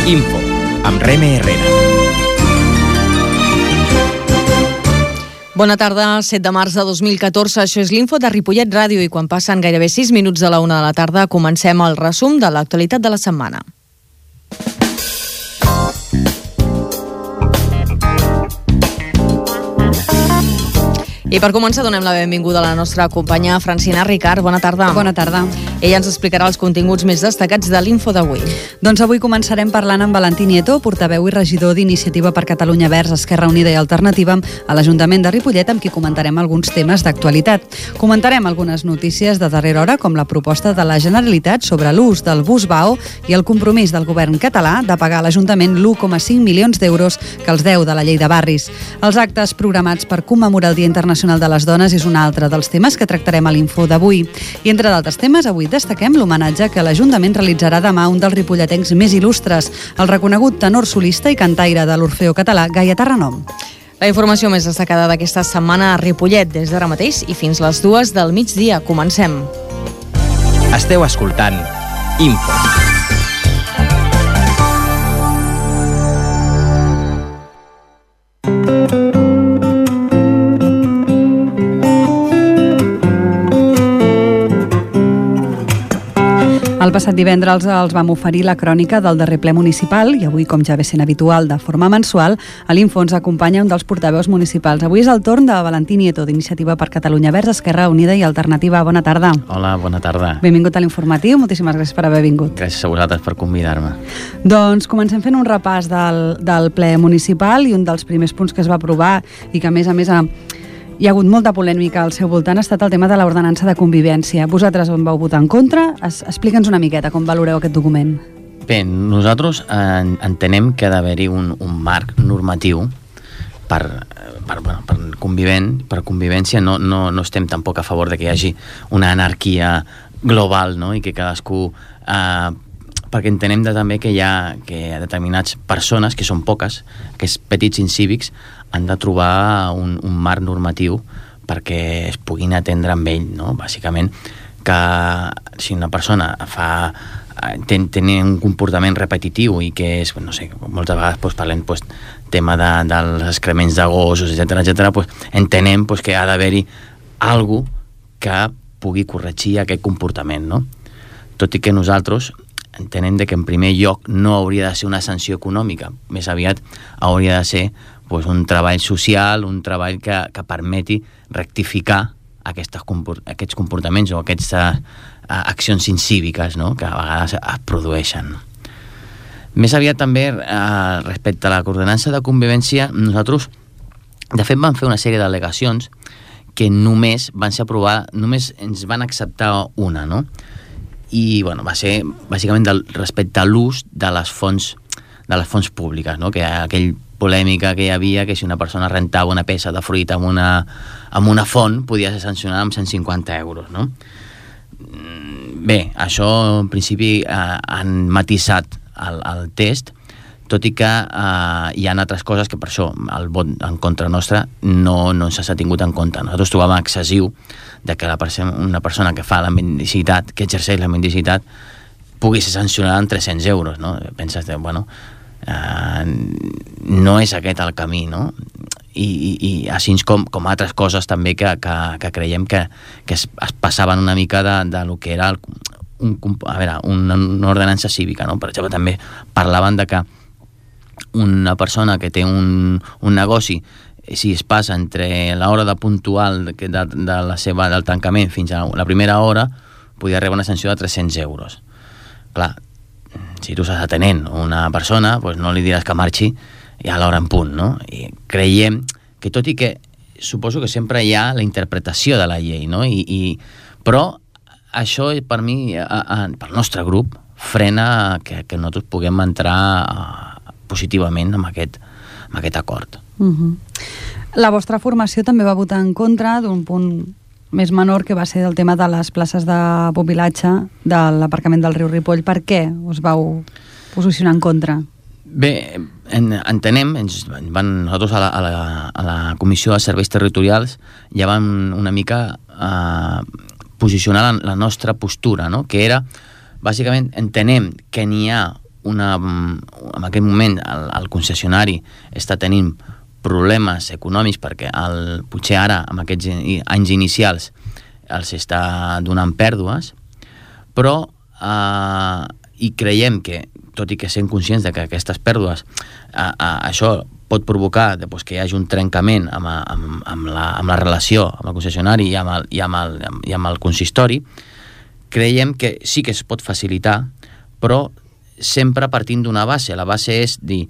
Info, amb Reme Herrera. Bona tarda, 7 de març de 2014. Això és l'Info de Ripollet Ràdio i quan passen gairebé 6 minuts de la 1 de la tarda comencem el resum de l'actualitat de la setmana. I per començar donem la benvinguda a la nostra companya Francina Ricard. Bona tarda. Bona tarda. Ella ens explicarà els continguts més destacats de l'Info d'avui. Doncs avui començarem parlant amb Valentí Nieto, portaveu i regidor d'Iniciativa per Catalunya Verds, Esquerra Unida i Alternativa a l'Ajuntament de Ripollet, amb qui comentarem alguns temes d'actualitat. Comentarem algunes notícies de darrera hora, com la proposta de la Generalitat sobre l'ús del bus Vao i el compromís del govern català de pagar a l'Ajuntament l'1,5 milions d'euros que els deu de la llei de barris. Els actes programats per commemorar el Dia Internacional de les Dones és un altre dels temes que tractarem a l'Info d'avui. I entre d'altres temes, avui destaquem l'homenatge que l'Ajuntament realitzarà demà a un dels ripolletencs més il·lustres, el reconegut tenor solista i cantaire de l'Orfeó Català, Gaietà Renom. La informació més destacada d'aquesta setmana a Ripollet, des d'ara mateix i fins les 2 del migdia. Comencem. Esteu escoltant Info. El passat divendres els vam oferir la crònica del darrer ple municipal i avui, com ja ve sent habitual de forma mensual, a l'Info ens acompanya un dels portaveus municipals. Avui és el torn de Valentí Nieto, d'Iniciativa per Catalunya Verds, Esquerra Unida i Alternativa. Bona tarda. Hola, bona tarda. Benvingut a l'Informatiu, moltíssimes gràcies per haver vingut. Gràcies a vosaltres per convidar-me. Doncs comencem fent un repàs del ple municipal i un dels primers punts que es va aprovar i que a més hi ha hagut molta polèmica al seu voltant ha estat el tema de l'ordenança de convivència. Vosaltres on vau votar en contra? Explica'ns una miqueta com valoreu aquest document. Bé, nosaltres entenem que ha d'haver-hi un marc normatiu per convivència. No estem tampoc a favor de que hi hagi una anarquia global, no? I que cadascú... perquè entenem també que hi ha determinats persones, que són poques, aquests petits incívics, han de trobar un marc normatiu perquè es puguin atendre amb ell, no? Bàsicament, que si una persona té un comportament repetitiu i que és, no sé, moltes vegades parlem tema dels excrements de gossos, etcètera, entenem que ha d'haver-hi algú que pugui corregir aquest comportament, no? Tot i que nosaltres entenem que en primer lloc no hauria de ser una sanció econòmica, més aviat hauria de ser un treball social, un treball que permeti rectificar aquests comportaments o aquestes accions incíviques, no? Que a vegades es produeixen. Més aviat també, respecte a la ordenança de convivència, nosaltres, de fet, vam fer una sèrie d'al·legacions que només van ser aprovades, només ens van acceptar una, no? I va ser bàsicament respecte a l'ús de les fonts públiques, no? Que aquell polèmica que hi havia que si una persona rentava una peça de fruita amb una font podia ser sancionada amb 150 euros, no? Bé, això en principi han matisat el test, tot i que hi ha altres coses que per això el vot en contra nostra no s'ha tingut en compte. Nosaltres trobàvem excessiu que una persona que fa la mendicitat, que exerceix la mendicitat, pugui ser sancionada amb 300 euros, no? Penses, no és aquest el camí, no? I així com altres coses també que creiem que es passaven una mica de lo que era una ordenança cívica, no? Per exemple, també parlaven de que una persona que té un negoci, si es passa entre l'hora de puntual del tancament fins a la primera hora, podria rebre una sanció de 300 euros. Clar, si tu estàs atenent una persona, no li diràs que marxi a l'hora en punt, no? I creiem que, tot i que suposo que sempre hi ha la interpretació de la llei, no? Però això, per mi, pel nostre grup, frena que nosaltres puguem entrar positivament amb aquest acord. La vostra formació també va votar en contra d'un punt més menor, que va ser el tema de les places de pupilatge de l'aparcament del riu Ripoll. Per què us vau posicionar en contra? Bé, entenem, nosaltres a la Comissió de Serveis Territorials ja vam una mica posicionar la nostra postura, no? Que era, bàsicament, entenem que n'hi ha en aquest moment el concessionari està tenint problemes econòmics perquè potser ara, amb aquests anys inicials, els està donant pèrdues, però i creiem que, tot i que sent conscients de que aquestes pèrdues, això pot provocar que hi hagi un trencament amb la relació amb el concessionari i amb el consistori, creiem que sí que es pot facilitar, però sempre partint d'una base. La base és dir,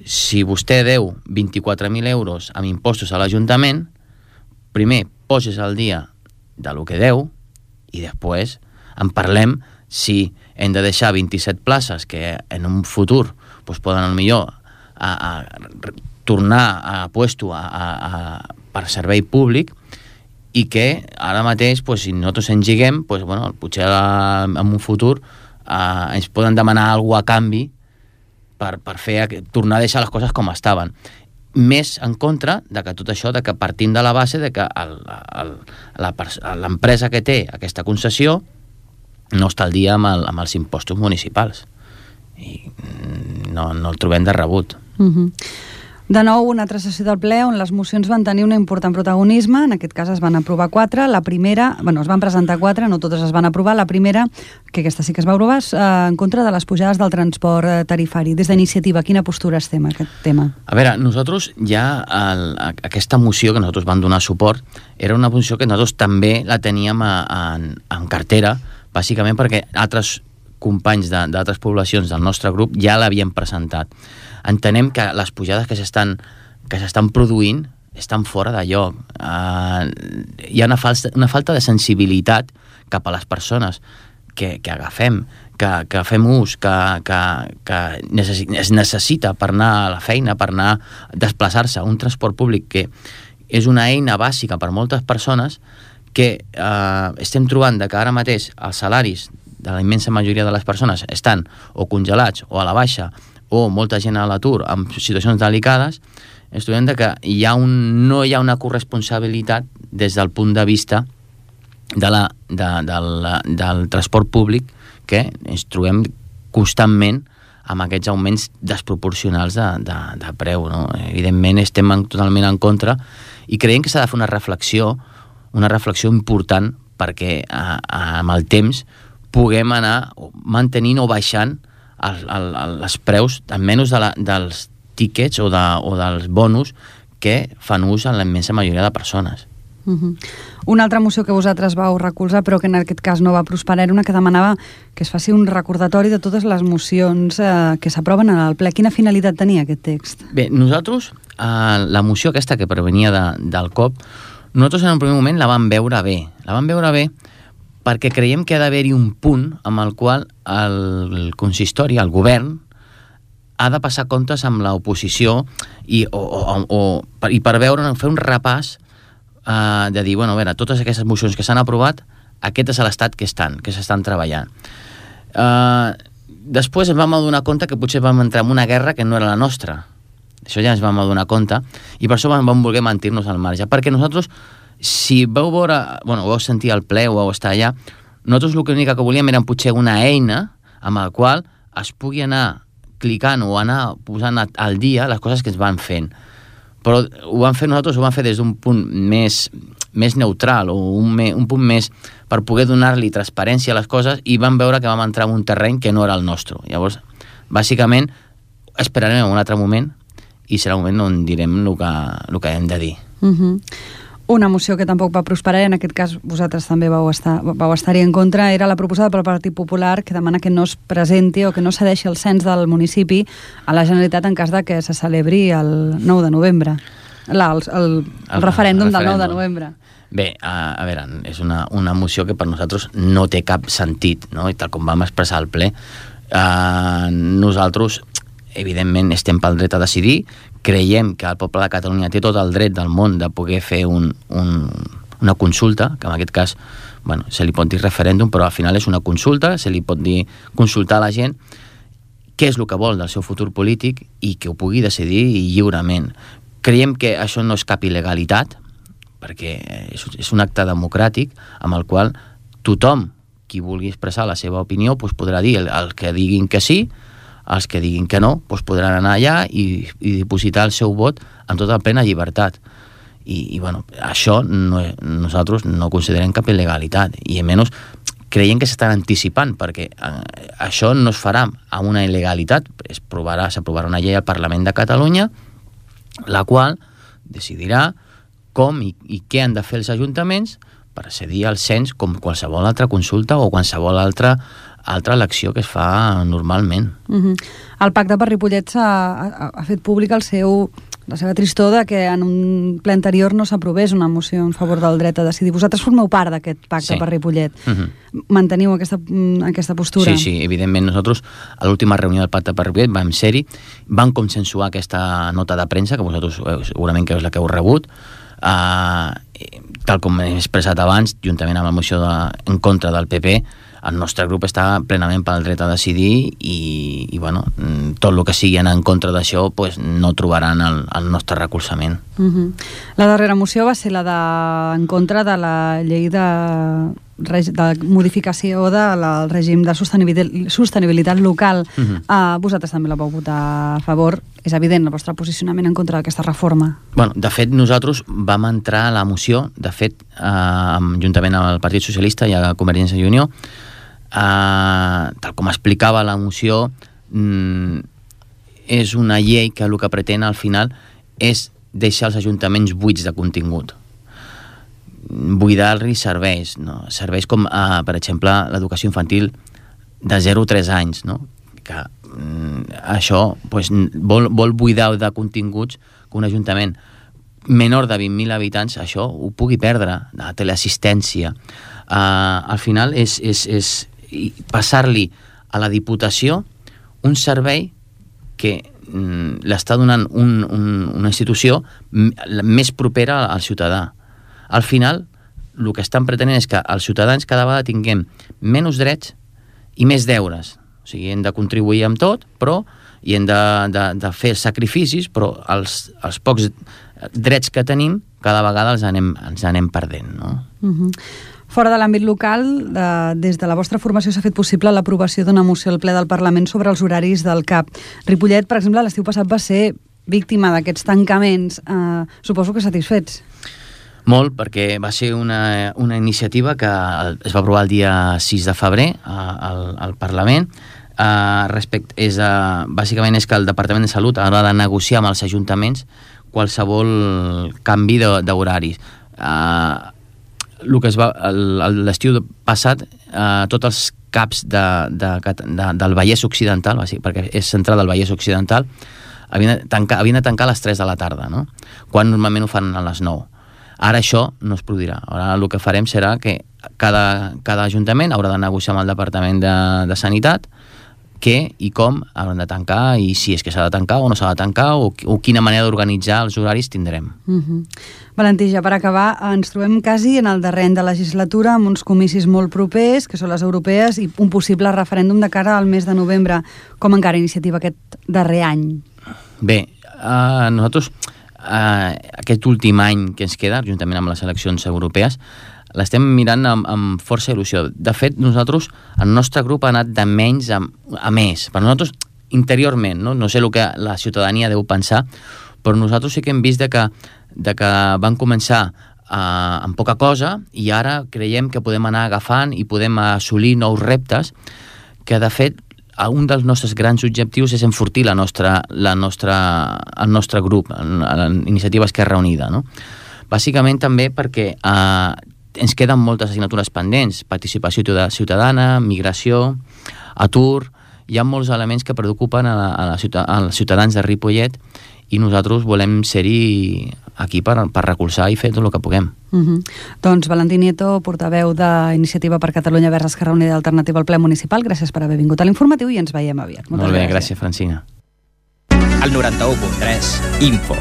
si vostè deu 24.000 euros amb impostos a l'Ajuntament, primer poses al dia de lo que deu i després en parlem si hem de deixar 27 places que en un futur poden potser a tornar a puesto per servei públic, i que ara mateix, si nosaltres engiguem, potser en un futur ens poden demanar alguna cosa a canvi per tornar a deixar les coses com estaven. Més en contra de que tot això, de que partim de la base de que l'empresa que té aquesta concessió no està al dia amb els impostos municipals. I no el trobem de rebut. De nou, una altra sessió del ple on les mocions van tenir un important protagonisme. En aquest cas es van aprovar 4. La primera, es van presentar 4, no totes es van aprovar. La primera, que aquesta sí que es va aprovar, en contra de les pujades del transport tarifari. Des d'Iniciativa, quina postura estem a aquest tema? A veure, nosaltres ja aquesta moció que nosaltres vam donar suport era una moció que nosaltres també la teníem en cartera, bàsicament perquè altres companys d'altres poblacions del nostre grup ja l'havien presentat. Entenem que les pujades que s'estan produint estan fora de lloc. Hi ha una falta de sensibilitat cap a les persones que agafem, que fem ús, que es necessita per anar a la feina, per anar a desplaçar-se. Un transport públic que és una eina bàsica per moltes persones, que estem trobant que ara mateix els salaris de la immensa majoria de les persones estan o congelats o a la baixa, o molta gent a l'atur en situacions delicades, ens trobem que no hi ha una corresponsabilitat des del punt de vista del transport públic, que ens trobem constantment amb aquests augments desproporcionals de preu. No? Evidentment estem totalment en contra i creiem que s'ha de fer una reflexió important perquè amb el temps puguem anar mantenint o baixant els preus, almenys dels tíquets o dels bonus que fan ús en la immensa majoria de persones. Una altra moció que vosaltres vau recolzar, però que en aquest cas no va prosperar, era una que demanava que es faci un recordatori de totes les mocions que s'aproven en el ple. Quina finalitat tenia aquest text? Bé, nosaltres, la moció aquesta que provenia del COP, nosaltres en un primer moment la vam veure bé. La vam veure bé perquè creiem que ha d'haver-hi un punt amb el qual el consistori, el govern, ha de passar comptes amb l'oposició i per veure, fer un repàs de dir, a veure, totes aquestes mocions que s'han aprovat, aquest és l'estat que s'estan treballant. Després ens vam adonar compte que potser vam entrar en una guerra que no era la nostra. Això ja ens vam adonar compte i per això vam voler mantenir-nos al marge, perquè nosaltres, si vau veure, ho vau sentir al ple o vau estar allà, nosaltres l'únic que volíem era potser una eina amb la qual es pugui anar clicant o anar posant al dia les coses que es van fent. Però ho vam fer nosaltres, ho vam fer des d'un punt més neutral o un punt més per poder donar-li transparència a les coses, i vam veure que vam entrar en un terreny que no era el nostre. Llavors, bàsicament, esperarem un altre moment i serà un moment on direm el que hem de dir. Una moció que tampoc va prosperar, i en aquest cas vosaltres també vau estar-hi en contra, era la proposada pel Partit Popular, que demana que no es presenti o que no cedeixi el cens del municipi a la Generalitat en cas de que se celebri el 9 de novembre. El referèndum del 9 de novembre. Bé, a veure, és una moció que per nosaltres no té cap sentit, no? I tal com vam expressar al ple, nosaltres evidentment estem pel dret a decidir, creiem que el poble de Catalunya té tot el dret del món de poder fer una consulta, que en aquest cas se li pot dir referèndum, però al final és una consulta, se li pot dir consultar a la gent què és el que vol del seu futur polític i que ho pugui decidir lliurement. Creiem que això no és cap il·legalitat, perquè és un acte democràtic amb el qual tothom qui vulgui expressar la seva opinió podrà dir el que diguin que sí, Els que diguin que no, doncs podran anar allà i dipositar el seu vot amb tota plena llibertat. I bueno, això nosaltres no considerem cap il·legalitat, i almenys creiem que s'estan anticipant, perquè això no es farà amb una il·legalitat. S'aprovarà una llei al Parlament de Catalunya, la qual decidirà com i què han de fer els ajuntaments per cedir al cens, com qualsevol altra consulta o qualsevol altra elecció que es fa normalment. El Pacte per Ripollet ha fet públic la seva tristor de que en un ple anterior no s'aprovés una moció en favor del dret a decidir. Vosaltres formeu part d'aquest Pacte per Ripollet. Manteniu aquesta postura? Sí, evidentment. Nosaltres, a l'última reunió del Pacte per Ripollet, vam ser-hi, vam consensuar aquesta nota de premsa, que vosaltres segurament que és la que heu rebut, tal com he expressat abans, juntament amb la moció en contra del PP. El nostre grup està plenament pel dret a decidir i bueno, tot el que sigui en contra d'això pues, no trobaran el nostre recolzament. La darrera moció va ser la en contra de la llei de modificació del règim de sostenibilitat local. Vosaltres també la vau votar a favor. És evident el vostre posicionament en contra d'aquesta reforma. Bueno, de fet, nosaltres vam entrar a la moció, juntament amb el Partit Socialista i a Convergència i Unió. Tal com explicava la moció, és una llei que el que pretén al final és deixar els ajuntaments buits de contingut, buidar-los serveis, no? Serveis com, per exemple, l'educació infantil de 0 a 3 anys, no? Que això pues, vol buidar de continguts que un ajuntament menor de 20.000 habitants això ho pugui perdre, de teleassistència. Al final és passar-li a la Diputació un servei que l'està donant una institució més propera al ciutadà. Al final, el que estan pretenent és que els ciutadans cada vegada tinguem menys drets i més deures. O sigui, hem de contribuir amb tot, i hem de fer sacrificis, però els pocs drets que tenim cada vegada els anem perdent, no? Fora de l'àmbit local, des de la vostra formació s'ha fet possible l'aprovació d'una moció al ple del Parlament sobre els horaris del CAP. Ripollet, per exemple, l'estiu passat va ser víctima d'aquests tancaments. Suposo que satisfets. Molt, perquè va ser una iniciativa que es va aprovar el dia 6 de febrer al Parlament. Bàsicament és que el Departament de Salut haurà de negociar amb els ajuntaments qualsevol canvi d'horaris. L'estiu passat, tots els CAPs del Vallès Occidental, perquè és central del Vallès Occidental, havien de tancar a les 3 de la tarda, no? Quan normalment ho fan a les 9. Ara això no es produirà. Ara el que farem serà que cada ajuntament haurà de negociar amb el Departament de Sanitat què i com hauran de tancar, i si és que s'ha de tancar o no s'ha de tancar, o quina manera d'organitzar els horaris tindrem. Valentí, ja per acabar, ens trobem quasi en el darrer any de legislatura, amb uns comicis molt propers, que són les europees, i un possible referèndum de cara al mes de novembre. Com encara iniciativa aquest darrer any? Bé, nosaltres aquest últim any que ens queda, juntament amb les eleccions europees, l'estem mirant amb força il·lusió. De fet, nosaltres, el nostre grup ha anat de menys a més. Per nosaltres, interiorment, no sé el que la ciutadania deu pensar, però nosaltres sí que hem vist de que van començar amb poca cosa i ara creiem que podem anar agafant i podem assolir nous reptes, que de fet un dels nostres grans objectius és enfortir el nostre grup, l'iniciativa Esquerra Unida, no? Bàsicament també perquè ens queden moltes assignatures pendents: participació ciutadana, migració, atur. Hi ha molts elements que preocupen als ciutadans de Ripollet i nosaltres volem ser-hi aquí per recolzar i fer tot el que puguem. Doncs Valentí Nieto, portaveu d'Iniciativa per Catalunya Verds Esquerra Unida i Alternativa al ple municipal, gràcies per haver vingut a l'Informatiu i ens veiem aviat. Molt bé, gràcies, Francina. El 91.3 Info.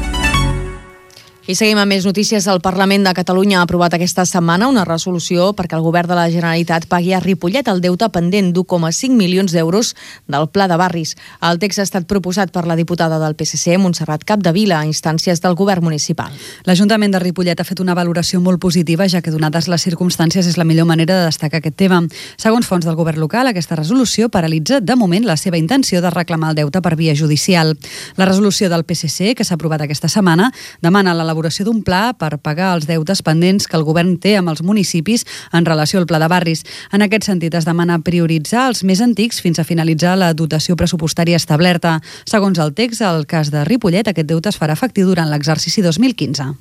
I seguim amb més notícies. El Parlament de Catalunya ha aprovat aquesta setmana una resolució perquè el govern de la Generalitat pagui a Ripollet el deute pendent d'1,5 milions d'euros del Pla de Barris. El text ha estat proposat per la diputada del PSC, Montserrat Capdevila, a instàncies del govern municipal. L'Ajuntament de Ripollet ha fet una valoració molt positiva, ja que donades les circumstàncies és la millor manera de destacar aquest tema. Segons fonts del govern local, aquesta resolució paralitza de moment la seva intenció de reclamar el deute per via judicial. La resolució del PSC, que s'ha aprovat aquesta setmana, demana l'elaboració d'un pla per pagar els deutes pendents que el govern té amb els municipis en relació al Pla de Barris. En aquest sentit, es demana prioritzar els més antics fins a finalitzar la dotació pressupostària establerta. Segons el text, al cas de Ripollet, aquest deute es farà efectiu durant l'exercici 2015.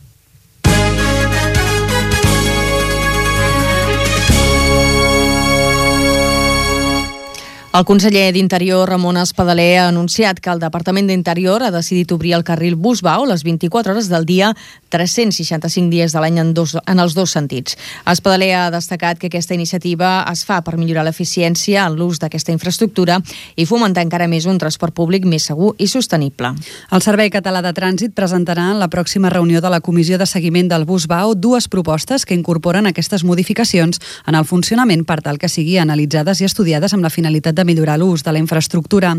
El conseller d'Interior, Ramon Espadaler, ha anunciat que el Departament d'Interior ha decidit obrir el carril Bus-Vao les 24 hores del dia, 365 dies de l'any en els dos sentits. Espadaler ha destacat que aquesta iniciativa es fa per millorar l'eficiència en l'ús d'aquesta infraestructura i fomentar encara més un transport públic més segur i sostenible. El Servei Català de Trànsit presentarà en la pròxima reunió de la Comissió de Seguiment del Bus-Vao dues propostes que incorporen aquestes modificacions en el funcionament per tal que siguin analitzades i estudiades amb la finalitat de millorar l'ús de la infraestructura.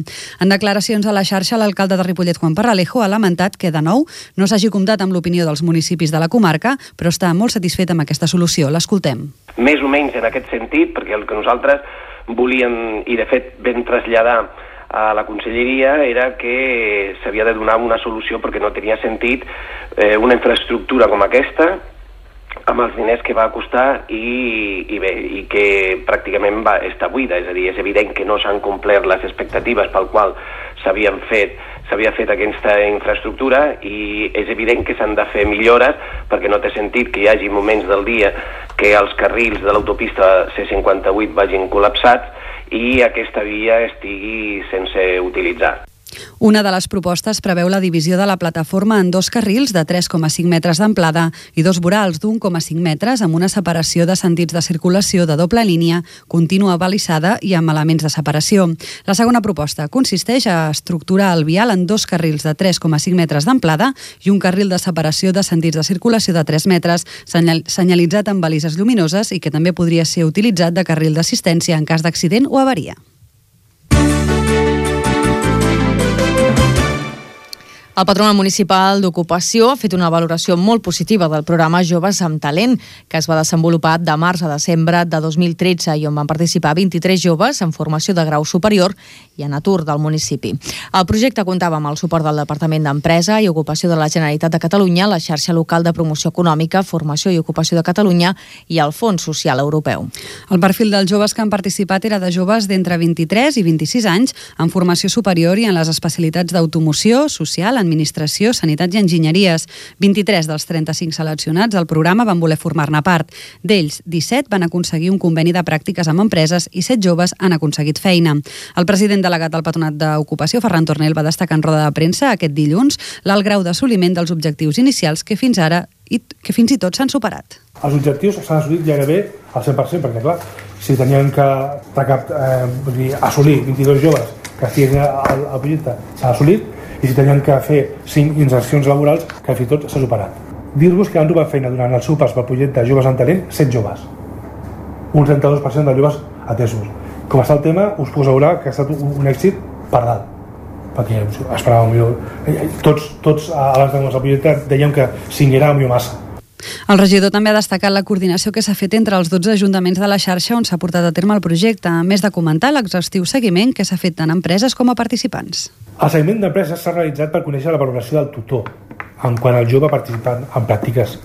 En declaracions a la xarxa, l'alcalde de Ripollet, Juan Parralejo, ha lamentat que, de nou, no s'hagi comptat amb l'opinió dels municipis de la comarca, però està molt satisfet amb aquesta solució. L'escoltem. Més o menys en aquest sentit, perquè el que nosaltres volíem, i de fet vam traslladar a la conselleria, era que s'havia de donar una solució perquè no tenia sentit una infraestructura com aquesta, amb els diners que va costar i que pràcticament està buida, és a dir, és evident que no s'han complert les expectatives pel qual s'havia fet aquesta infraestructura i és evident que s'han de fer millores perquè no té sentit que hi hagi moments del dia que els carrils de l'autopista C58 vagin col·lapsats i aquesta via estigui sense utilitzar. Una de les propostes preveu la divisió de la plataforma en dos carrils de 3,5 metres d'amplada i dos vorals d'1,5 metres amb una separació de sentits de circulació de doble línia, contínua balisada i amb elements de separació. La segona proposta consisteix a estructurar el vial en dos carrils de 3,5 metres d'amplada i un carril de separació de sentits de circulació de 3 metres, senyalitzat amb balises lluminoses i que també podria ser utilitzat de carril d'assistència en cas d'accident o avaria. El Patronat Municipal d'Ocupació ha fet una valoració molt positiva del programa Joves amb Talent, que es va desenvolupar de març a desembre de 2013 i on van participar 23 joves en formació de grau superior i en atur del municipi. El projecte comptava amb el suport del Departament d'Empresa i Ocupació de la Generalitat de Catalunya, la xarxa local de promoció econòmica, formació i ocupació de Catalunya i el Fons Social Europeu. El perfil dels joves que han participat era de joves d'entre 23 i 26 anys en formació superior i en les especialitats d'automoció, social, administració, sanitat i enginyeries. 23 dels 35 seleccionats al programa van voler formar-ne part. D'ells, 17 van aconseguir un conveni de pràctiques amb empreses i 7 joves han aconseguit feina. El president delegat del Patronat d'Ocupació, Ferran Tornel, va destacar en roda de premsa aquest dilluns l'alt grau d'assoliment dels objectius inicials que fins i tot s'han superat. Els objectius s'han assolit gairebé al 100%, perquè clar, si tenien que assolir 22 joves que estiguin al projecte, s'ha assolit, i si tenien que fer 5 insercions laborals, que fins i tot s'ha superat. Dir-vos que han trobat feina durant el seu pas pel projecte Joves amb Talent, 7 joves. Un 32% de joves atesos. Com està el tema, us puc assegurar que ha estat un èxit per dalt. Perquè esperàvem millor. Tots abans de començar el projecte dèiem que 5 era millor massa. El regidor també ha destacat la coordinació que s'ha fet entre els 12 ajuntaments de la xarxa on s'ha portat a terme el projecte, a més de comentar l'exhaustiu seguiment que s'ha fet tant a empreses com a participants. El seguiment d'empreses s'ha realitzat per conèixer la valoració del tutor en quant al jove participant en pràctiques.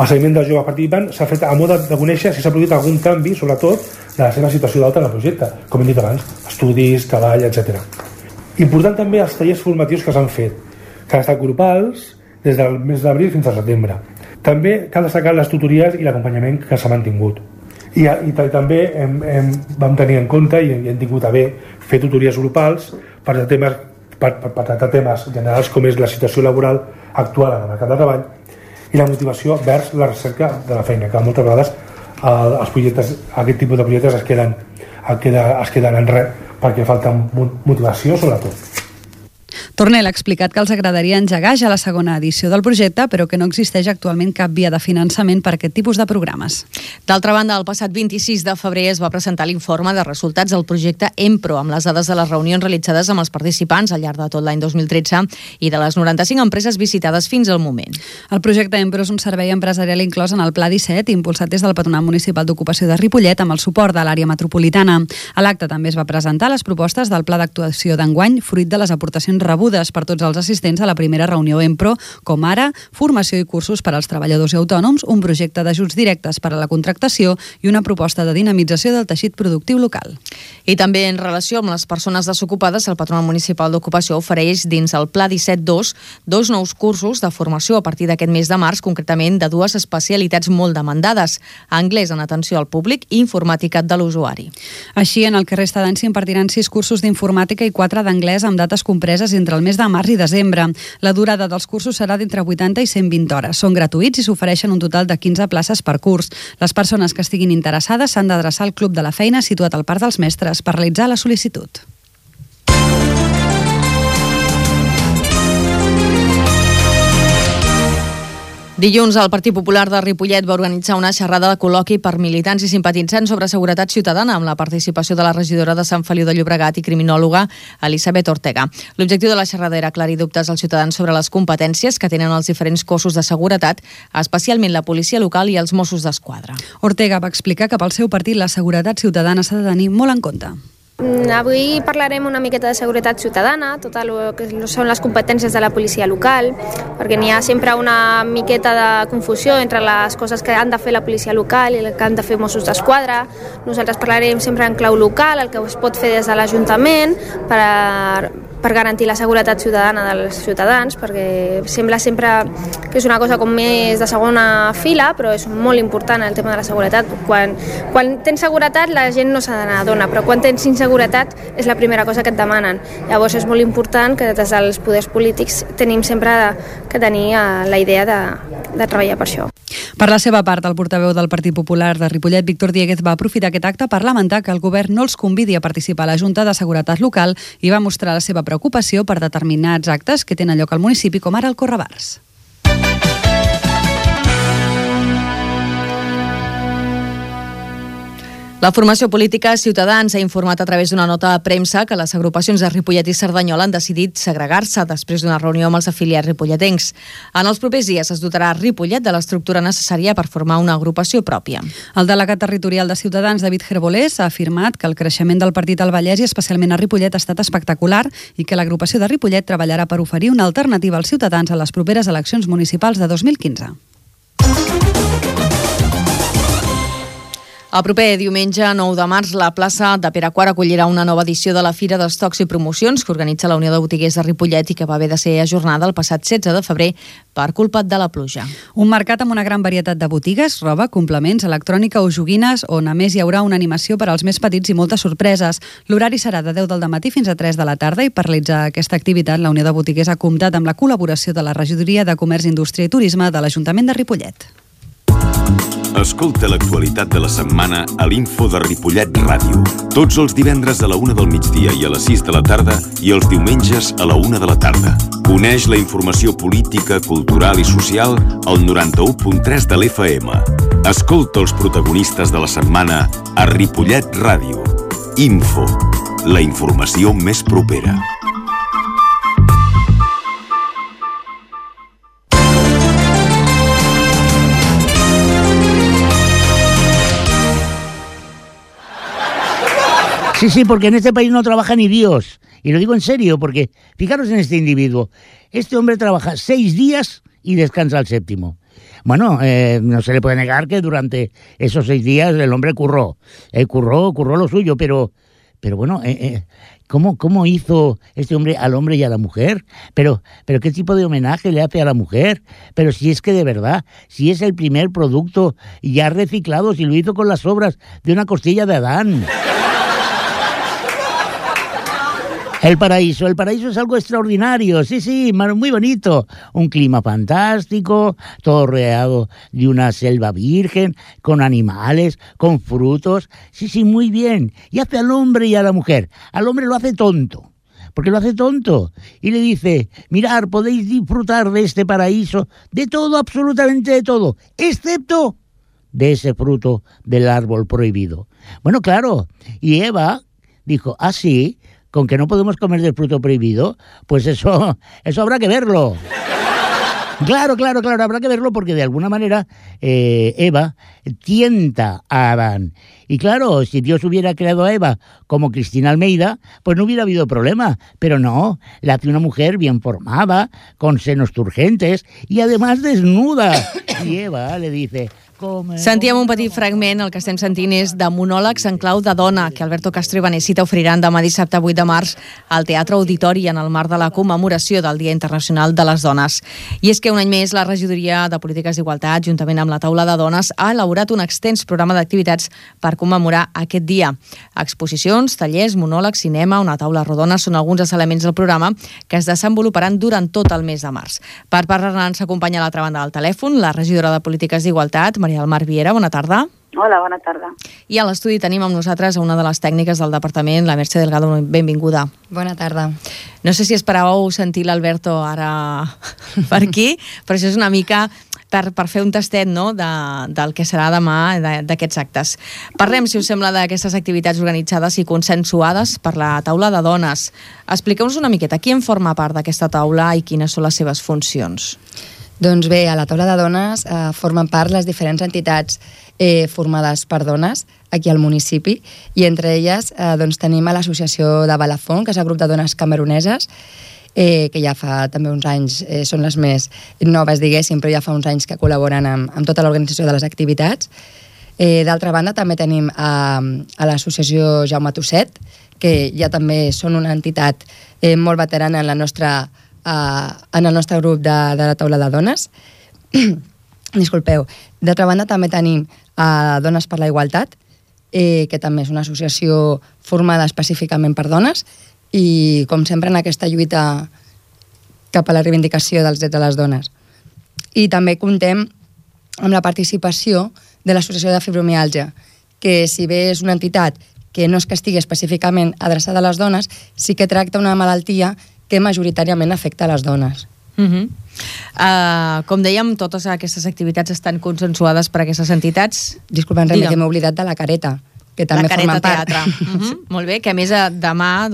El seguiment del jove participant s'ha fet a mode de conèixer si s'ha produït algun canvi, sobretot, de la seva situació d'alta en el projecte, com hem dit abans, estudis, treball, etc. Important també els tallers formatius que s'han fet, que han estat grupals des del mes d'abril fins al setembre. També cal destacar les tutories i l'acompanyament que s'ha mantingut. I també vam tenir en compte i hem tingut a bé fer tutories grupals per tractar temes generals com és la situació laboral actual en el mercat de treball i la motivació vers la recerca de la feina, que moltes vegades aquest tipus de projectes es queden en res perquè falta motivació sobretot. Tornel ha explicat que els agradaria engegar ja la segona edició del projecte, però que no existeix actualment cap via de finançament per a aquest tipus de programes. D'altra banda, el passat 26 de febrer es va presentar l'informe de resultats del projecte EMPRO, amb les dades de les reunions realitzades amb els participants al llarg de tot l'any 2013 i de les 95 empreses visitades fins al moment. El projecte EMPRO és un servei empresarial inclòs en el Pla 17, impulsat des del Patronat Municipal d'Ocupació de Ripollet amb el suport de l'àrea metropolitana. A l'acte també es va presentar les propostes del Pla d'actuació d'enguany, fruit de les aportacions rebudes per tots els assistents a la primera reunió EMPRO, com ara formació i cursos per als treballadors i autònoms, un projecte d'ajuts directes per a la contractació i una proposta de dinamització del teixit productiu local. I també en relació amb les persones desocupades, el Patronat Municipal d'Ocupació ofereix dins el Pla 17.2 dos nous cursos de formació a partir d'aquest mes de març, concretament de dues especialitats molt demandades: anglès en atenció al públic i informàtica de l'usuari. Així, en el que resta d'any s'impartiran 6 cursos d'informàtica i 4 d'anglès amb dates compreses entre el mes de març i desembre. La durada dels cursos serà d'entre 80 i 120 hores. Són gratuïts i s'ofereixen un total de 15 places per curs. Les persones que estiguin interessades s'han d'adreçar al Club de la Feina situat al Parc dels Mestres per realitzar la sol·licitud. Dilluns, el Partit Popular de Ripollet va organitzar una xerrada de col·loqui per militants i simpatitzants sobre seguretat ciutadana amb la participació de la regidora de Sant Feliu de Llobregat i criminòloga Elisabet Ortega. L'objectiu de la xerrada era aclarir dubtes als ciutadans sobre les competències que tenen els diferents cossos de seguretat, especialment la policia local i els Mossos d'Esquadra. Ortega va explicar que pel seu partit la seguretat ciutadana s'ha de tenir molt en compte. Avui parlarem una miqueta de seguretat ciutadana, tot el que són les competències de la policia local, perquè n'hi ha sempre una miqueta de confusió entre les coses que han de fer la policia local i el que han de fer Mossos d'Esquadra. Nosaltres parlarem sempre en clau local, el que es pot fer des de l'Ajuntament per garantir la seguretat ciutadana dels ciutadans, perquè sembla sempre que és una cosa com més de segona fila, però és molt important el tema de la seguretat. Quan tens seguretat la gent no se n'adona, però quan tens inseguretat és la primera cosa que et demanen. Llavors és molt important que des dels poders polítics tenim sempre que tenir la idea de treballar per això. Per la seva part, el portaveu del Partit Popular de Ripollet, Víctor Dieguez, va aprofitar aquest acte per lamentar que el govern no els convidi a participar a la Junta de Seguretat Local i va mostrar la seva preocupació per determinats actes que tenen lloc al municipi, com ara el Correbars. La formació política Ciutadans ha informat a través d'una nota de premsa que les agrupacions de Ripollet i Cerdanyola han decidit segregar-se després d'una reunió amb els afiliats ripolletencs. En els propers dies es dotarà Ripollet de l'estructura necessària per formar una agrupació pròpia. El delegat territorial de Ciutadans, David Gerbolés, ha afirmat que el creixement del partit al Vallès i especialment a Ripollet ha estat espectacular i que l'agrupació de Ripollet treballarà per oferir una alternativa als ciutadans a les properes eleccions municipals de 2015. El proper diumenge 9 de març, la plaça de Pere IV acollirà una nova edició de la Fira d'Estocs i Promocions que organitza la Unió de Botiguers de Ripollet i que va haver de ser ajornada el passat 16 de febrer per culpa de la pluja. Un mercat amb una gran varietat de botigues, roba, complements, electrònica o joguines, on a més hi haurà una animació per als més petits i moltes sorpreses. L'horari serà de 10 del matí fins a 3 de la tarda i per realitzar aquesta activitat la Unió de Botiguers ha comptat amb la col·laboració de la Regidoria de Comerç, Indústria i Turisme de l'Ajuntament de Ripollet. Escolta l'actualitat de la setmana a l'Info de Ripollet Ràdio. Tots els divendres a la 1 del migdia i a les 6 de la tarda i els diumenges a la 1 de la tarda. Coneix la informació política, cultural i social al 91.3 de l'FM. Escolta els protagonistes de la setmana a Ripollet Ràdio. Info, la informació més propera. Sí, porque en este país no trabaja ni Dios. Y lo digo en serio, porque fijaros en este individuo. Este hombre trabaja 6 días y descansa el 7º. Bueno, no se le puede negar que durante esos 6 días el hombre curró lo suyo, pero bueno, ¿cómo hizo este hombre al hombre y a la mujer? Pero ¿qué tipo de homenaje le hace a la mujer? Pero si es que de verdad, si es el primer producto ya reciclado, si lo hizo con las sobras de una costilla de Adán. El paraíso es algo extraordinario, sí, muy bonito. Un clima fantástico, todo rodeado de una selva virgen, con animales, con frutos. Sí, muy bien. Y hace al hombre y a la mujer. Al hombre lo hace tonto, porque lo hace tonto. Y le dice, mirad, podéis disfrutar de este paraíso, de todo, absolutamente de todo, excepto de ese fruto del árbol prohibido. Bueno, claro, y Eva dijo, ah, sí, con que no podemos comer del fruto prohibido, pues eso habrá que verlo. Claro, habrá que verlo porque de alguna manera Eva tienta a Adán. Y claro, si Dios hubiera creado a Eva como Cristina Almeida, pues no hubiera habido problema. Pero no, la hace una mujer bien formada, con senos turgentes y además desnuda. Y Eva le dice... Sentíem un petit fragment, el que estem sentint és de monòlegs en clau de dona, que Alberto Castro i Vanessa t'oferiran demà dissabte 8 de març al Teatre Auditori en el marc de la commemoració del Dia Internacional de les Dones. I és que un any més la Regidoria de Polítiques d'Igualtat, juntament amb la Taula de Dones, ha elaborat un extens programa d'activitats per commemorar aquest dia. Exposicions, tallers, monòlegs, cinema, una taula rodona són alguns dels elements del programa que es desenvoluparan durant tot el mes de març. Per parlar-ne ens acompanya a l'altra banda del telèfon la regidora de Polítiques d'Igualtat, Maria del Mar Viera, bona tarda. Hola, bona tarda. I a l'estudi tenim amb nosaltres una de les tècniques del departament, la Mercè Delgado, benvinguda. Bona tarda. No sé si esperàveu sentir l'Alberto ara per aquí, però això és una mica per fer un tastet, no?, del que serà demà, d'aquests actes. Parlem, si us sembla, d'aquestes activitats organitzades i consensuades per la taula de dones. Expliqueu-nos una miqueta qui en forma part d'aquesta taula i quines són les seves funcions. Doncs bé, a la taula de dones formen part les diferents entitats formades per dones aquí al municipi i entre elles doncs, tenim a l'associació de Balafón, que és el grup de dones cameruneses, que ja fa també uns anys, són les més noves, diguéssim, però ja fa uns anys que col·laboren amb tota l'organització de les activitats. D'altra banda, també tenim a l'associació Jaume Tosset, que ja també són una entitat molt veterana en el nostre grup de la taula de dones. Disculpeu. D'altra banda, també tenim Dones per la Igualtat, que també és una associació formada específicament per dones i, com sempre, en aquesta lluita cap a la reivindicació dels drets de les dones. I també contem amb la participació de l'Associació de Fibromiàlgia, que si bé és una entitat que no és que estigui específicament adreçada a les dones, sí que tracta una malaltia que majoritàriament afecta a les dones. Com dèiem, totes aquestes activitats estan consensuades per aquestes entitats. Disculpa, Enric, que m'he oblidat de la Careta, que també formen part. La Careta Teatre. Molt bé, que a més demà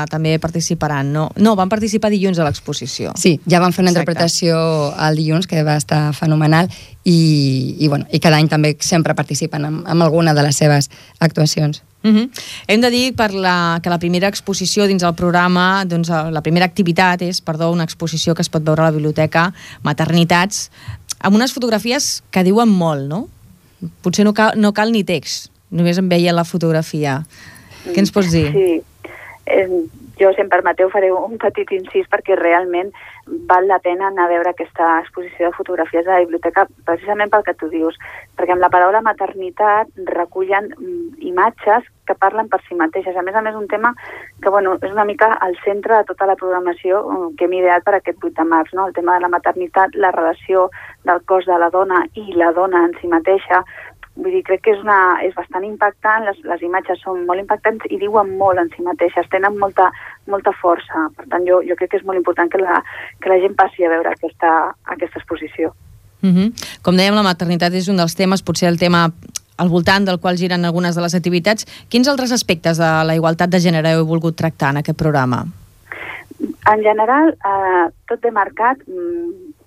també participaran. No, van participar dilluns a l'exposició. Sí, ja van fer una interpretació el dilluns, que va estar fenomenal, i cada any també sempre participen amb alguna de les seves actuacions. Hem de dir que la primera exposició dins el programa, doncs la primera activitat és, una exposició que es pot veure a la biblioteca, Maternitats, amb unes fotografies que diuen molt, no? Potser no cal ni text, només em veia la fotografia. Què ens pots dir? Sí, jo, si em permeteu, faré un petit incís perquè realment val la pena anar a veure aquesta exposició de fotografies a la biblioteca precisament pel que tu dius, perquè amb la paraula maternitat recullen imatges que parlen per si mateixes. A més, un tema que és una mica al centre de tota la programació que hem ideat per aquest 8 de març, no? El tema de la maternitat, la relació del cos de la dona i la dona en si mateixa. Vull dir, crec que és bastant impactant, les imatges són molt impactants i diuen molt en si mateixes, tenen molta força. Per tant, jo crec que és molt important que la gent passi a veure aquesta exposició. Com dèiem, la maternitat és un dels temes, potser el tema al voltant del qual giren algunes de les activitats. Quins altres aspectes de la igualtat de gènere heu volgut tractar en aquest programa? En general, tot ve marcat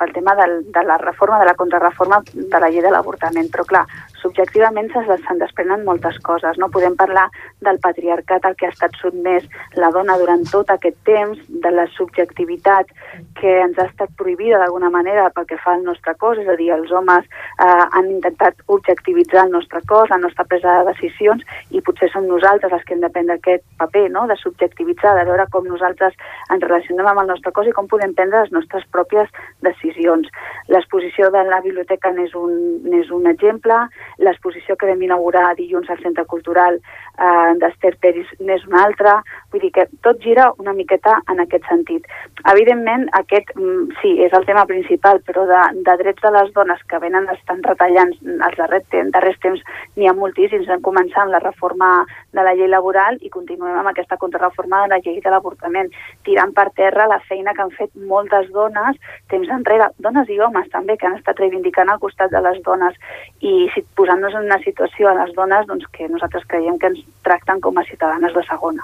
pel tema de la reforma, de la contrarreforma de la llei de l'avortament, però clar, subjectivament se'n desprenen moltes coses, no? Podem parlar del patriarcat al que ha estat sotmès la dona durant tot aquest temps, de la subjectivitat que ens ha estat prohibida d'alguna manera pel que fa al nostre cos, és a dir, els homes han intentat objectivitzar el nostre cos, la nostra presa de decisions, i potser som nosaltres els que hem de prendre aquest paper, no?, de subjectivitzar, de veure com nosaltres ens relacionem amb el nostre cos i com podem prendre les nostres pròpies decisions. L'exposició de la biblioteca n'és un exemple, l'exposició que vam inaugurar dilluns al Centre Cultural d'Ester Peris n'és una altra, vull dir que tot gira una miqueta en aquest sentit. Evidentment, aquest sí, és el tema principal, però de drets de les dones que estan retallant els darrers temps n'hi ha moltíssims. Vam començar amb la reforma de la llei laboral i continuem amb aquesta contrarreforma de la llei de l'avortament, tirant per terra la feina que han fet moltes dones temps enrere, dones i homes també, que han estat reivindicant al costat de les dones i posant-nos en una situació a les dones doncs, que nosaltres creiem que ens tracten com a ciutadanes de segona.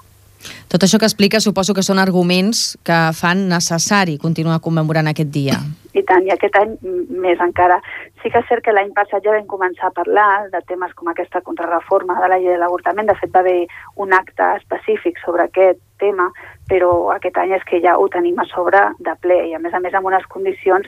Tot això que explica suposo que són arguments que fan necessari continuar commemorant aquest dia. I tant, i aquest any més encara. Sí que és cert que l'any passat ja vam començar a parlar de temes com aquesta contrarreforma de la llei de l'avortament. De fet, va haver un acte específic sobre aquest tema, però aquest any és que ja ho tenim a sobre de ple i a més amb unes condicions,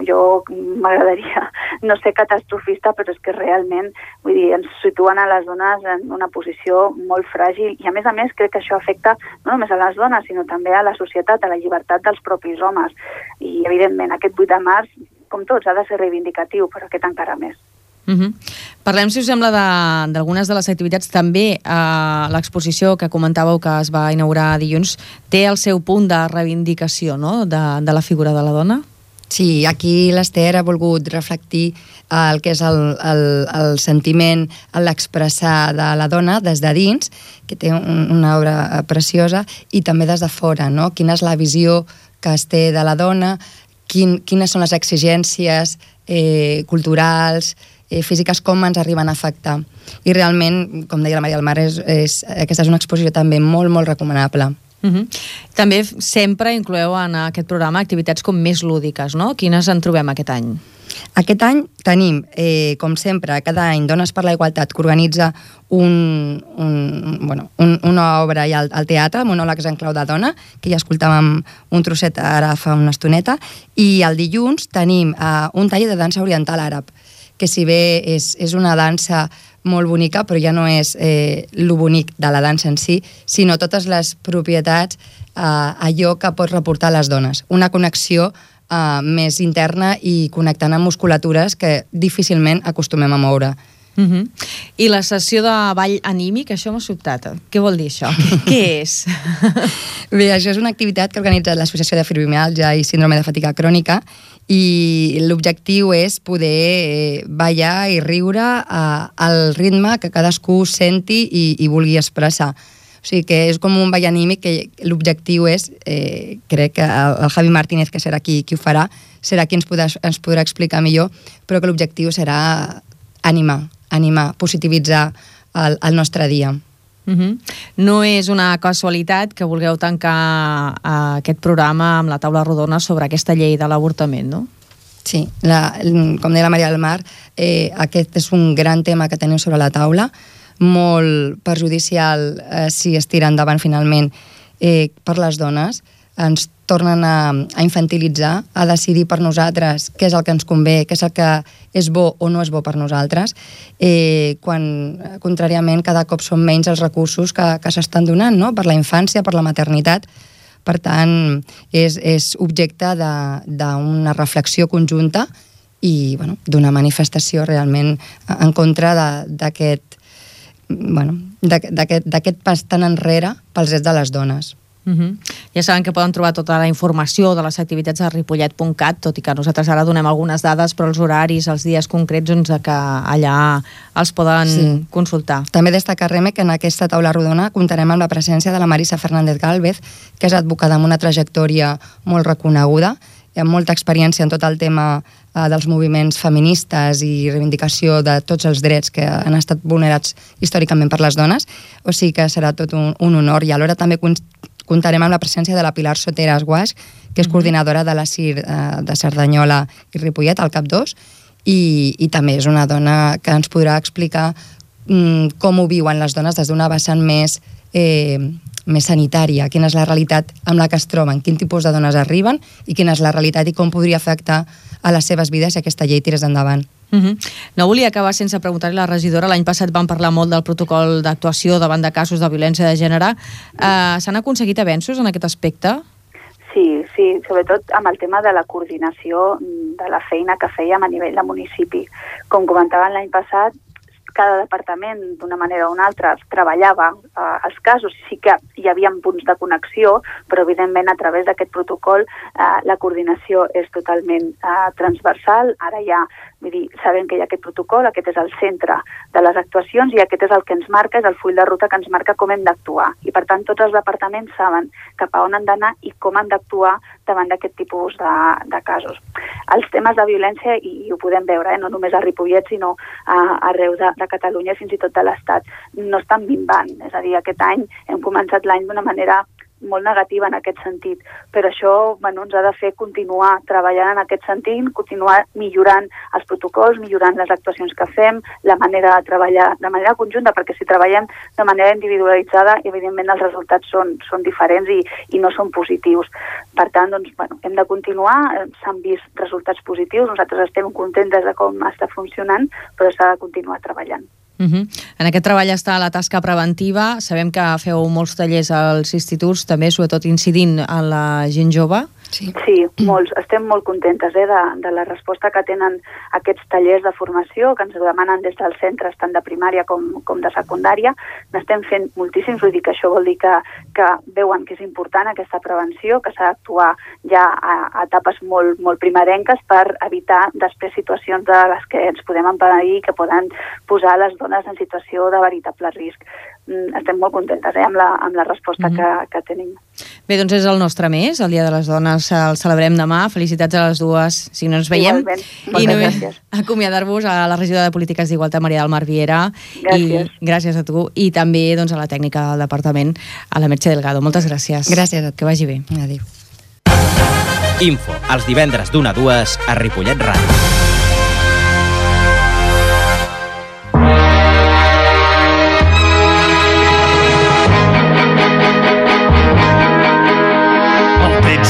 jo m'agradaria no ser catastrofista, però és que realment, vull dir, ens situen a les dones en una posició molt fràgil i a més crec que això afecta no només a les dones, sinó també a la societat, a la llibertat dels propis homes. I evidentment aquest 8 de març, com tots, ha de ser reivindicatiu, però aquest encara més. Parlem, si us sembla, d'algunes de les activitats. També l'exposició que comentàveu que es va inaugurar dilluns té el seu punt de reivindicació, no?, de la figura de la dona. Sí, aquí l'Ester ha volgut reflectir el que és el sentiment, l'expressar de la dona des de dins, que té una obra preciosa, i també des de fora, no? Quina és la visió que es té de la dona, quines són les exigències culturals, físiques, com ens arriben a afectar. I realment, com deia la Maria del Mar, aquesta és una exposició també molt, molt recomanable. També sempre incloeu en aquest programa activitats com més lúdiques, no? Quines en trobem aquest any? Aquest any tenim, com sempre, cada any Dones per la Igualtat, que organitza una obra al teatre, monòlegs en clau de dona, que ja escoltàvem un trosset ara fa una estoneta, i el dilluns tenim un taller de dansa oriental àrab, que si bé és una dansa molt bonica, però ja no és lo bonic de la dansa en si, sinó totes les propietats, allò que pot reportar a les dones. Una connexió més interna i connectant amb musculatures que difícilment acostumem a moure. I la sessió de ball anímic, això m'ha sobtat. Què vol dir això? Què és? Bé, això és una activitat que ha organitzat l'Associació de Fibromialgia i Síndrome de Fatiga Crònica i l'objectiu és poder ballar i riure al ritme que cadascú senti i vulgui expressar. O sigui que és com un ball anímic que l'objectiu és, crec que el Javi Martínez, que serà qui ho farà, serà qui ens podrà explicar millor, però que l'objectiu serà animar, positivitzar el nostre dia. No és una casualitat que vulgueu tancar aquest programa amb la taula rodona sobre aquesta llei de l'avortament, no? Sí, com deia la Maria del Mar, aquest és un gran tema que teniu sobre la taula, molt perjudicial si es tira endavant finalment per les dones. Ens tornen a infantilitzar, a decidir per nosaltres què és el que ens convé, què és el que és bo o no és bo per nosaltres, quan, contràriament, cada cop són menys els recursos que s'estan donant, no?, per la infància, per la maternitat. Per tant, és objecte d'una reflexió conjunta i d'una manifestació realment en contra d'aquest pas tan enrere pels drets de les dones. Ja saben que poden trobar tota la informació de les activitats a ripollet.cat, tot i que nosaltres ara donem algunes dades, però els horaris, els dies concrets, que allà els poden consultar. També destacar, Reme, que en aquesta taula rodona comptarem amb la presència de la Marisa Fernández Gálvez, que és advocada amb una trajectòria molt reconeguda, amb molta experiència en tot el tema dels moviments feministes i reivindicació de tots els drets que han estat vulnerats històricament per les dones, o sigui que serà tot un honor. I alhora també comptarem amb la presència de la Pilar Soteras Guasch, que és coordinadora de la CIR de Cerdanyola i Ripollet, al CAP2, i també és una dona que ens podrà explicar com ho viuen les dones des d'una vessant més sanitària, quina és la realitat amb la que es troben, quin tipus de dones arriben i quina és la realitat i com podria afectar a les seves vides si aquesta llei tirés endavant. No volia acabar sense preguntar-li a la regidora. L'any passat vam parlar molt del protocol d'actuació davant de casos de violència de gènere. S'han aconseguit avenços en aquest aspecte? Sí, Sí, sobretot amb el tema de la coordinació de la feina que fèiem a nivell de municipi. Com comentaven l'any passat, cada departament, d'una manera o una altra, treballava els casos. Sí que hi havia punts de connexió, però evidentment a través d'aquest protocol la coordinació és totalment transversal. Ara ja sabem que hi ha aquest protocol, aquest és el centre de les actuacions i aquest és el que ens marca, és el full de ruta que ens marca com hem d'actuar. I per tant tots els departaments saben cap a on han d'anar i com han d'actuar davant d'aquest tipus de casos. Els temes de violència, i ho podem veure, no només a Ripollet, sinó arreu de Catalunya, fins i tot de l'Estat, no estan minvant. És a dir, aquest any hem començat l'any d'una manera molt negativa en aquest sentit, però això ens ha de fer continuar treballant en aquest sentit, continuar millorant els protocols, millorant les actuacions que fem, la manera de treballar de manera conjunta, perquè si treballem de manera individualitzada, evidentment els resultats són diferents i no són positius. Per tant, hem de continuar, s'han vist resultats positius, nosaltres estem contentes de com està funcionant, però s'ha de continuar treballant. En aquest treball està la tasca preventiva. Sabem que feu molts tallers als instituts, també sobretot incidint en la gent jove. Sí, molts. Estem molt contentes de la resposta que tenen aquests tallers de formació, que ens demanen des dels centres tant de primària com de secundària. N'estem fent moltíssims, vull dir que això vol dir que veuen que és important aquesta prevenció, que s'ha d'actuar ja a etapes molt, molt primerenques per evitar després situacions de les que ens podem empadir, que poden posar les dones en situació de veritable risc. Estem molt contentes amb la resposta que tenim. Bé, doncs és el nostre mes, el Dia de les Dones, el celebrem demà. Felicitats a les dues, si no ens veiem. I només acomiadar-vos a la regidora de Polítiques d'Igualtat, Maria del Mar Viera. Gràcies. I gràcies a tu. I també a la tècnica del departament, a la Merche Delgado. Moltes gràcies. Gràcies a tu. Que vagi bé. Adéu. Info, els divendres d'1 a 2 a Ripollet Ràdio.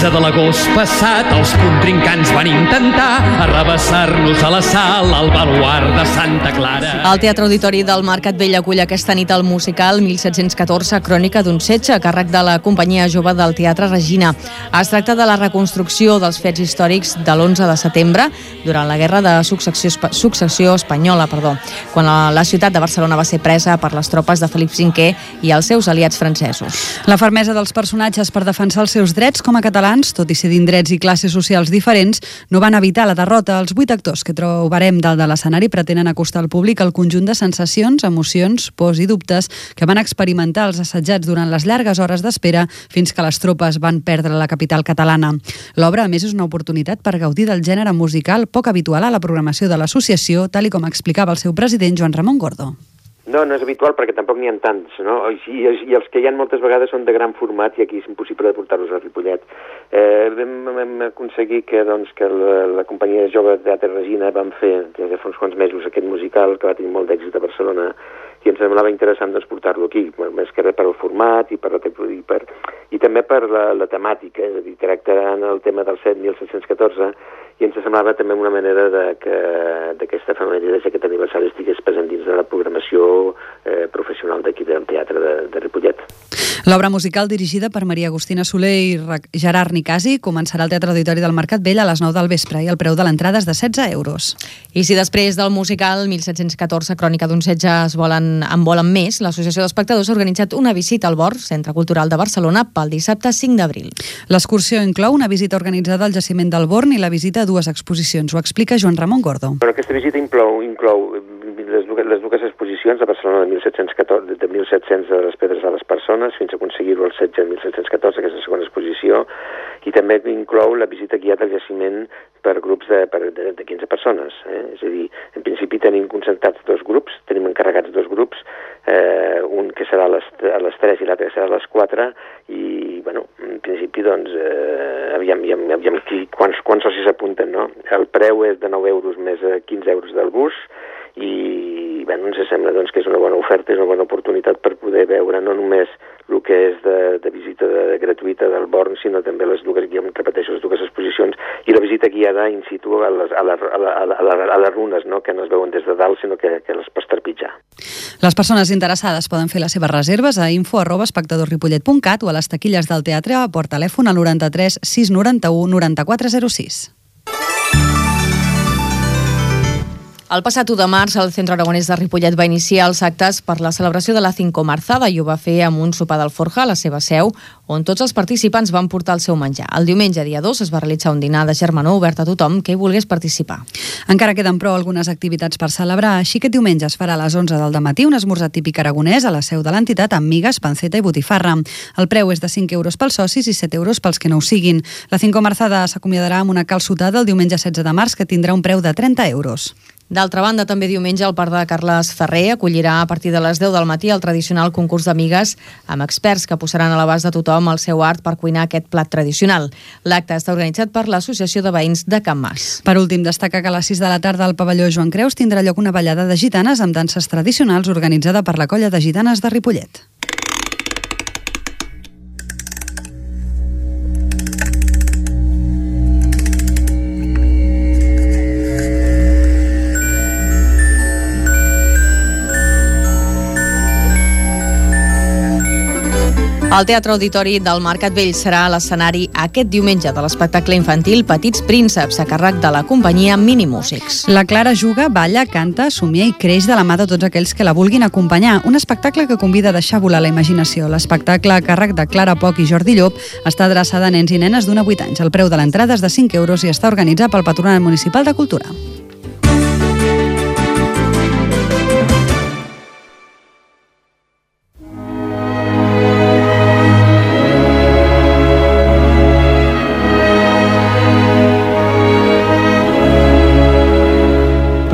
De l'agost passat els contrincants van intentar arrabassar-nos a la sala al baluard de Santa Clara. El Teatre Auditori del Mercat Vell acull aquesta nit el musical 1714, Crònica d'un setge, a càrrec de la companyia jove del Teatre Regina. Es tracta de la reconstrucció dels fets històrics de l'11 de setembre, durant la Guerra de Successió Espanyola, quan la ciutat de Barcelona va ser presa per les tropes de Felip V i els seus aliats francesos. La fermesa dels personatges per defensar els seus drets com a catalans, tot i ser d'indrets i classes socials diferents, no van evitar la derrota. Els 8 actors que trobarem dalt de l'escenari pretenen acostar al públic el conjunt de sensacions, emocions, pors i dubtes que van experimentar els assetjats durant les llargues hores d'espera fins que les tropes van perdre la capital catalana. L'obra, a més, és una oportunitat per gaudir del gènere musical poc habitual a la programació de l'associació, tal i com explicava el seu president, Joan Ramon Gordo. No és habitual perquè tampoc n'hi ha tants, no? I els que hi ha moltes vegades són de gran format i aquí és impossible de portar-los a Ripollet. Vam aconseguir que la companyia jove de Teatre Regina vam fer des de fa uns quants mesos aquest musical que va tenir molt d'èxit a Barcelona i ens semblava interessant portar-lo aquí, més que res per el format i també per la temàtica, és a dir, tractant el tema del 1714 i ens semblava també una manera que aquesta efemèride d'aquest aniversari estigués present dins de la programació professional d'aquí del Teatre de Ripollet. L'obra musical, dirigida per Maria Agustina Soler i Gerard Nicasi, començarà al Teatre Auditori del Mercat Vell a les 9 del vespre i el preu de l'entrada és de 16 euros. I si després del musical 1714, Crònica d'un setge, en volen més, l'Associació d'Espectadors ha organitzat una visita al BOR, Centre Cultural de Barcelona, pel dissabte 5 d'abril. L'excursió inclou una visita organitzada al jaciment del Born i la visita a 2 exposicions. Ho explica Joan Ramon Gordo. Aquesta visita inclou les dues exposicions a Barcelona de 1700 de les pedres de les persones fins a aconseguir-ho el setge de 1714, que és la segona exposició, i també inclou la visita guiada al jaciment per grups de 15 persones. És a dir, en principi tenim concentrats 2 grups, tenim encarregats 2 grups, un que serà a les 3 i l'altre serà a les 4, i, en principi, aviam quants socis s'apunten, no? El preu és de 9 euros més 15 euros del bus, i ens sembla que és una bona oferta, és una bona oportunitat per poder veure no només el que és de visita gratuïta del Born, sinó també les dues exposicions, i la visita visita guiada in situ a les runes, no? Que no es veuen des de dalt, sinó que les pots trepitjar. Les persones interessades poden fer les seves reserves a info@espectadorripollet.cat o a les taquilles del teatre o per telèfon al 93 691 9406. El passat 1 de març, el Centre Aragonès de Ripollet va iniciar els actes per la celebració de la Cinco Marzada i ho va fer amb un sopar d'Alforja a la seva seu, on tots els participants van portar el seu menjar. El diumenge, dia 2, es va realitzar un dinar de germanor obert a tothom que hi volgués participar. Encara queden, però, algunes activitats per celebrar. Així que diumenge es farà a les 11 del matí un esmorzar típic aragonès a la seu de l'entitat amb migues, panceta i botifarra. El preu és de 5 euros pels socis i 7 euros pels que no ho siguin. La Cinco Marzada s'acomiadarà amb una calçotada el diumenge 16 de març que tindrà un preu de 30 euros. D'altra banda, també diumenge el Parc de Carles Ferrer acollirà a partir de les 10 del matí el tradicional concurs d'amigues amb experts que posaran a l'abast de tothom el seu art per cuinar aquest plat tradicional. L'acte està organitzat per l'Associació de Veïns de Can Mas. Per últim, destaca que a les 6 de la tarda al pavelló Joan Creus tindrà lloc una ballada de gitanes amb danses tradicionals organitzada per la Colla de Gitanes de Ripollet. El Teatre Auditori del Mercat Vell serà l'escenari aquest diumenge de l'espectacle infantil Petits Prínceps, a càrrec de la companyia Minimúsics. La Clara juga, balla, canta, somia i creix de la mà de tots aquells que la vulguin acompanyar. Un espectacle que convida a deixar volar la imaginació. L'espectacle, a càrrec de Clara Poch i Jordi Llop, està adreçada a nens i nenes d'1 a 8 anys. El preu de l'entrada és de 5 euros i està organitzat pel Patronat Municipal de Cultura.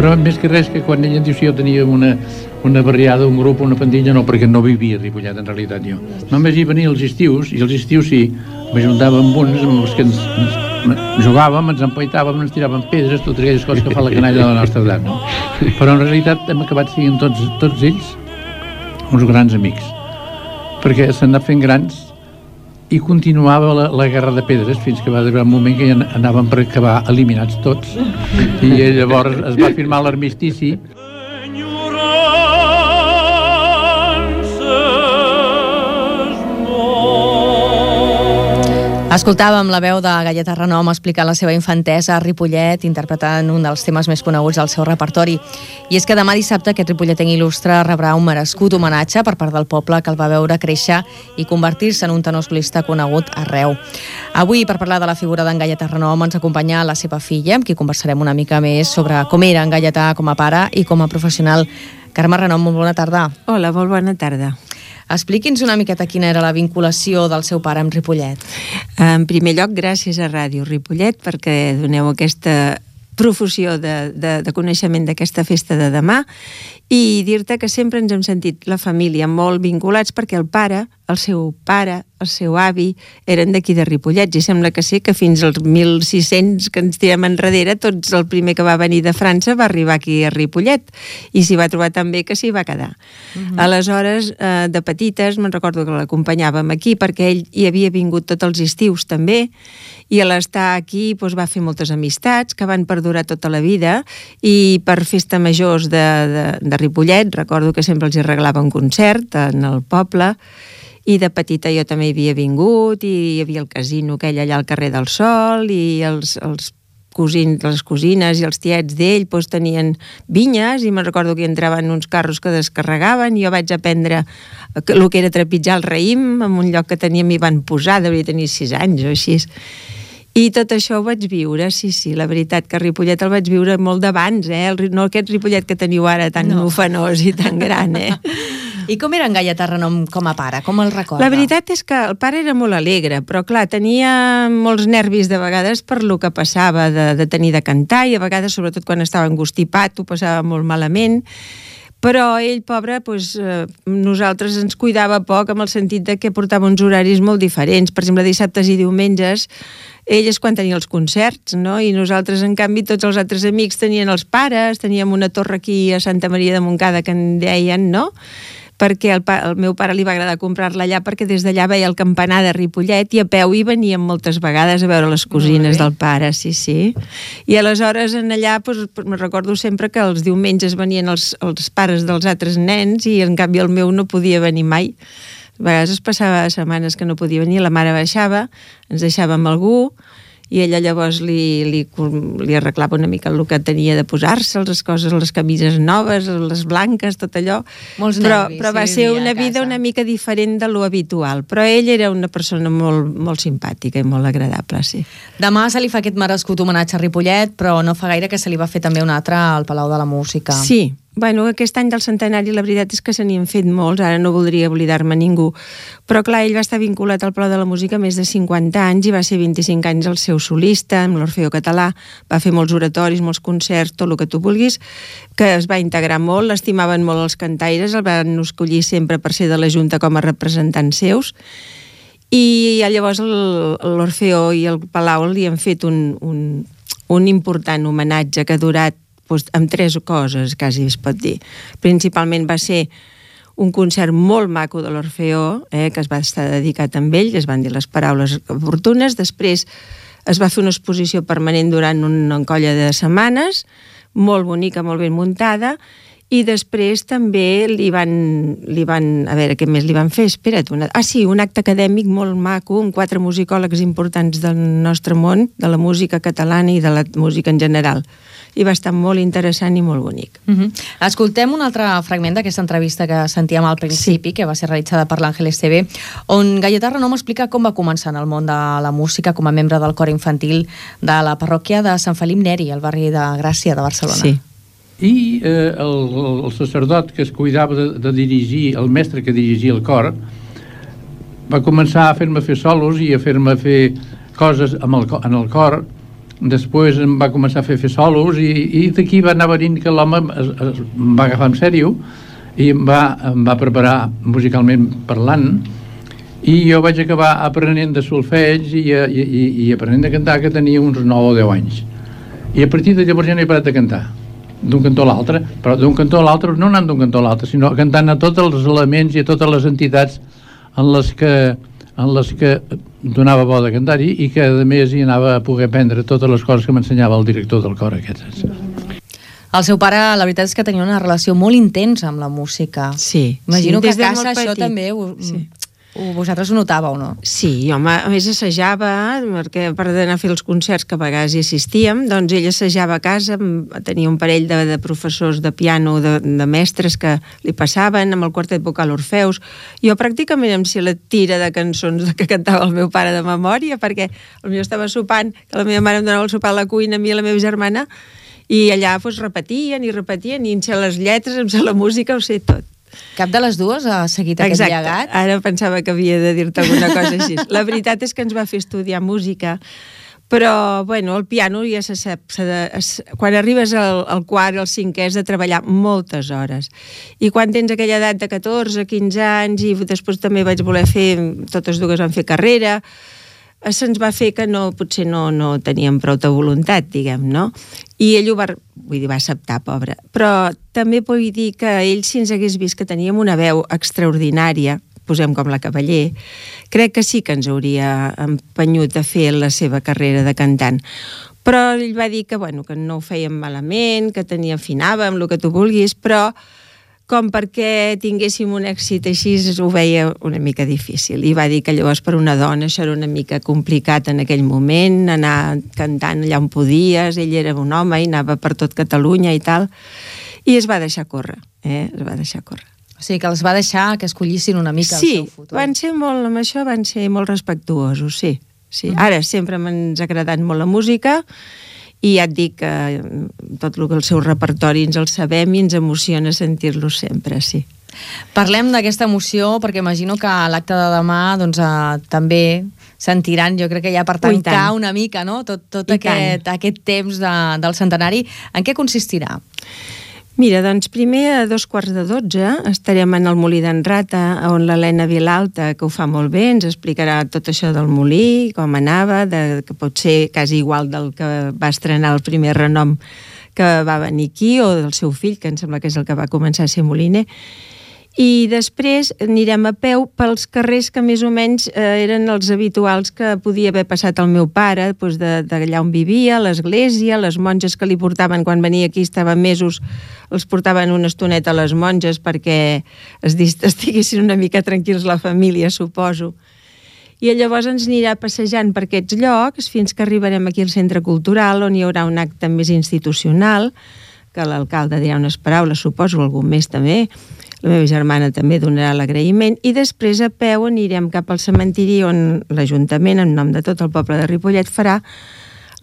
Però més que res que quan ella em diu si jo tenia una barriada, un grup, una pandilla, no, perquè no vivia a Ripollet en realitat jo. Només hi venia els estius, i els estius sí, m'ajuntava amb uns amb els que ens jugàvem, ens empaitàvem, ens tiràvem pedres, totes aquelles coses que fa la canalla de la nostra edat, no? Però en realitat hem acabat sent tots ells uns grans amics, perquè s'han anat fent grans i continuava la guerra de pedres fins que va arribar un moment que ja anàvem per acabar eliminats tots i llavors es va firmar l'armistici. Escoltàvem la veu de Galleta Renom explicant la seva infantesa a Ripollet, interpretant un dels temes més coneguts del seu repertori. I és que demà dissabte aquest ripolletenc il·lustre rebrà un merescut homenatge per part del poble que el va veure créixer i convertir-se en un tenor solista conegut arreu. Avui, per parlar de la figura d'en Galleta Renom, ens acompanya la seva filla, amb qui conversarem una mica més sobre com era en Galleta com a pare i com a professional. Carme Renom, molt bona tarda. Hola, molt bona tarda. Expliqui'ns una miqueta quina era la vinculació del seu pare amb Ripollet. En primer lloc, gràcies a Ràdio Ripollet perquè doneu aquesta profusió de coneixement d'aquesta festa de demà i dir-te que sempre ens hem sentit la família molt vinculats perquè el seu avi eren d'aquí de Ripollet i sembla que sí que fins als 1600 que ens tirem enrere tots el primer que va venir de França va arribar aquí a Ripollet i s'hi va trobar tan bé que s'hi va quedar. Aleshores, de petites, me'n recordo que l'acompanyàvem aquí perquè ell hi havia vingut tots els estius també i a l'estar aquí va fer moltes amistats que van perdurar tota la vida i per festa majors de Ripollet recordo que sempre els hi regalava un concert en el poble i de petita jo també hi havia vingut i hi havia el casino aquell allà al carrer del Sol i els cosins, les cosines i els tiets d'ell tenien vinyes i me'n recordo que entraven uns carros que descarregaven i jo vaig aprendre el que era trepitjar el raïm en un lloc que teníem i van posar, devia tenir 6 anys o així. I tot això ho vaig viure, sí, la veritat que a Ripollet el vaig viure molt d'abans, no aquest Ripollet que teniu ara tan ufanós i tan gran, I com era en Galleta Renom com a pare? Com el recorda? La veritat és que el pare era molt alegre, però clar, tenia molts nervis de vegades per lo que passava de tenir de cantar i a vegades, sobretot quan estava engostipat, ho passava molt malament. Però ell, pobre, nosaltres ens cuidava poc amb el sentit de que portava uns horaris molt diferents. Per exemple, dissabtes i diumenges, ell és quan tenia els concerts, no? I nosaltres, en canvi, tots els altres amics tenien els pares, teníem una torre aquí a Santa Maria de Montcada que en deien, no? perquè el meu pare li va agradar comprar-la allà perquè des d'allà veia el campanar de Ripollet i a peu hi veníem moltes vegades a veure les cosines del pare, sí. I aleshores en allà me recordo sempre que els diumenges venien els pares dels altres nens i en canvi el meu no podia venir mai. A vegades es passava setmanes que no podia venir, la mare baixava, ens deixava amb algú i ella llavors li arreglava una mica el que tenia de posar-se, les coses, les camises noves, les blanques, tot allò. Molts nervis. Però va ser una vida una mica diferent de lo habitual. Però ell era una persona molt, molt simpàtica i molt agradable, sí. Demà se li fa aquest merescut homenatge a Ripollet, però no fa gaire que se li va fer també un altre al Palau de la Música. Sí. Bueno, aquest any del centenari la veritat és que se n'hi han fet molts, ara no voldria oblidar-me ningú, però clar, ell va estar vinculat al Palau de la Música més de 50 anys i va ser 25 anys el seu solista amb l'Orfeó Català, va fer molts oratoris, molts concerts, tot el que tu vulguis, que es va integrar molt, l'estimaven molt els cantaires, el van escollir sempre per ser de la Junta com a representants seus, i llavors l'Orfeó i el Palau li han fet un important homenatge que ha durat amb 3 coses, quasi es pot dir. Principalment va ser un concert molt maco de l'Orfeó, que es va estar dedicat amb ell, es van dir les paraules oportunes, després es va fer una exposició permanent durant una colla de setmanes, molt bonica, molt ben muntada, i després també li van a veure, què més li van fer? Espera't, un acte acadèmic molt maco, amb 4 musicòlegs importants del nostre món, de la música catalana i de la música en general. I va estar molt interessant i molt bonic. Escoltem un altre fragment d'aquesta entrevista que sentíem al principi, que va ser realitzada per l'Àngel Esteve, on Gaietà Renom explica com va començar en el món de la música com a membre del cor infantil de la parròquia de Sant Felip Neri, al barri de Gràcia de Barcelona. Sí. I el sacerdot que es cuidava de dirigir, el mestre que dirigia el cor, va començar a fer-me fer solos i a fer-me fer coses en el cor. Després em va començar a fer solos i d'aquí va anar venint que l'home em va agafar en sèrio i em va preparar musicalment parlant i jo vaig acabar aprenent de solfeig i aprenent de cantar, que tenia uns 9 o 10 anys. I a partir de llavors ja no he parat de cantar d'un cantó a l'altre, però d'un cantó a l'altre no anant d'un cantó a l'altre, sinó cantant a tots els elements i a totes les entitats en les que donava bo de cantar-hi i que a més hi anava a poder aprendre totes les coses que m'ensenyava el director del cor aquest. El seu pare, la veritat és que tenia una relació molt intensa amb la música. Sí. Imagino que a casa això també vosaltres ho notàveu, no? Sí, home, a més assajava, perquè per anar a fer els concerts que a vegades hi assistíem, doncs ell assajava a casa, tenia un parell de professors de piano, de mestres que li passaven, amb el quartet vocal Orfeus. Jo pràcticament em sé la tira de cançons que cantava el meu pare de memòria, perquè potser estava sopant, que la meva mare em donava el sopar a la cuina, a mi i a la meva germana, i allà repetien, i em sé les lletres, em sé la música, ho sé tot. Cap de les dues ha seguit aquest llegat? Exacte, ara pensava que havia de dir-te alguna cosa així. La veritat és que ens va fer estudiar música, però, bueno, el piano ja se sap, quan arribes al quart, al cinquè, has de treballar moltes hores. I quan tens aquella edat de 14, 15 anys, i després també vaig voler fer, totes dues van fer carrera, se'ns va fer que potser no teníem prou de voluntat, diguem, no? I ell va acceptar, pobre. Però també vull dir que ell, si ens hagués vist que teníem una veu extraordinària, posem com la Cavaller, crec que sí que ens hauria empenyut a fer la seva carrera de cantant. Però ell va dir que, bueno, que no ho fèiem malament, que afinàvem, el que tu vulguis, però com perquè tinguéssim un èxit així ho veia una mica difícil. I va dir que llavors per una dona això era una mica complicat en aquell moment, anar cantant allà on podies, ell era un home i anava per tot Catalunya i tal, i es va deixar córrer, es va deixar córrer. O sigui que els va deixar que escollissin una mica el seu futur. Sí, amb això van ser molt respectuosos, sí. Ara sempre m'ha agradat molt la música, i ja et dic que tot el seu repertori ens el sabem i ens emociona sentir-lo sempre, sí. Parlem d'aquesta emoció perquè imagino que a l'acte de demà també sentiran, jo crec que ja per tancar una mica, no? Tot aquest temps del centenari. En què consistirà? Mira, doncs primer a 11:45 estarem en el Molí d'en Rata, on l'Helena Vilalta, que ho fa molt bé, ens explicarà tot això del molí, com anava, que pot ser quasi igual del que va estrenar el primer renom que va venir aquí, o del seu fill, que em sembla que és el que va començar a ser moliner. I després anirem a peu pels carrers que més o menys eren els habituals que podia haver passat el meu pare, doncs d'allà on vivia, l'església, les monges que li portaven quan venia aquí, estaven mesos, els portaven una estoneta a les monges perquè estiguessin una mica tranquils la família, suposo. I llavors ens anirà passejant per aquests llocs fins que arribarem aquí al Centre Cultural, on hi haurà un acte més institucional, que l'alcalde dirà unes paraules, suposo, algun més també. La meva germana també donarà l'agraïment, i després a peu anirem cap al cementiri on l'Ajuntament, en nom de tot el poble de Ripollet, farà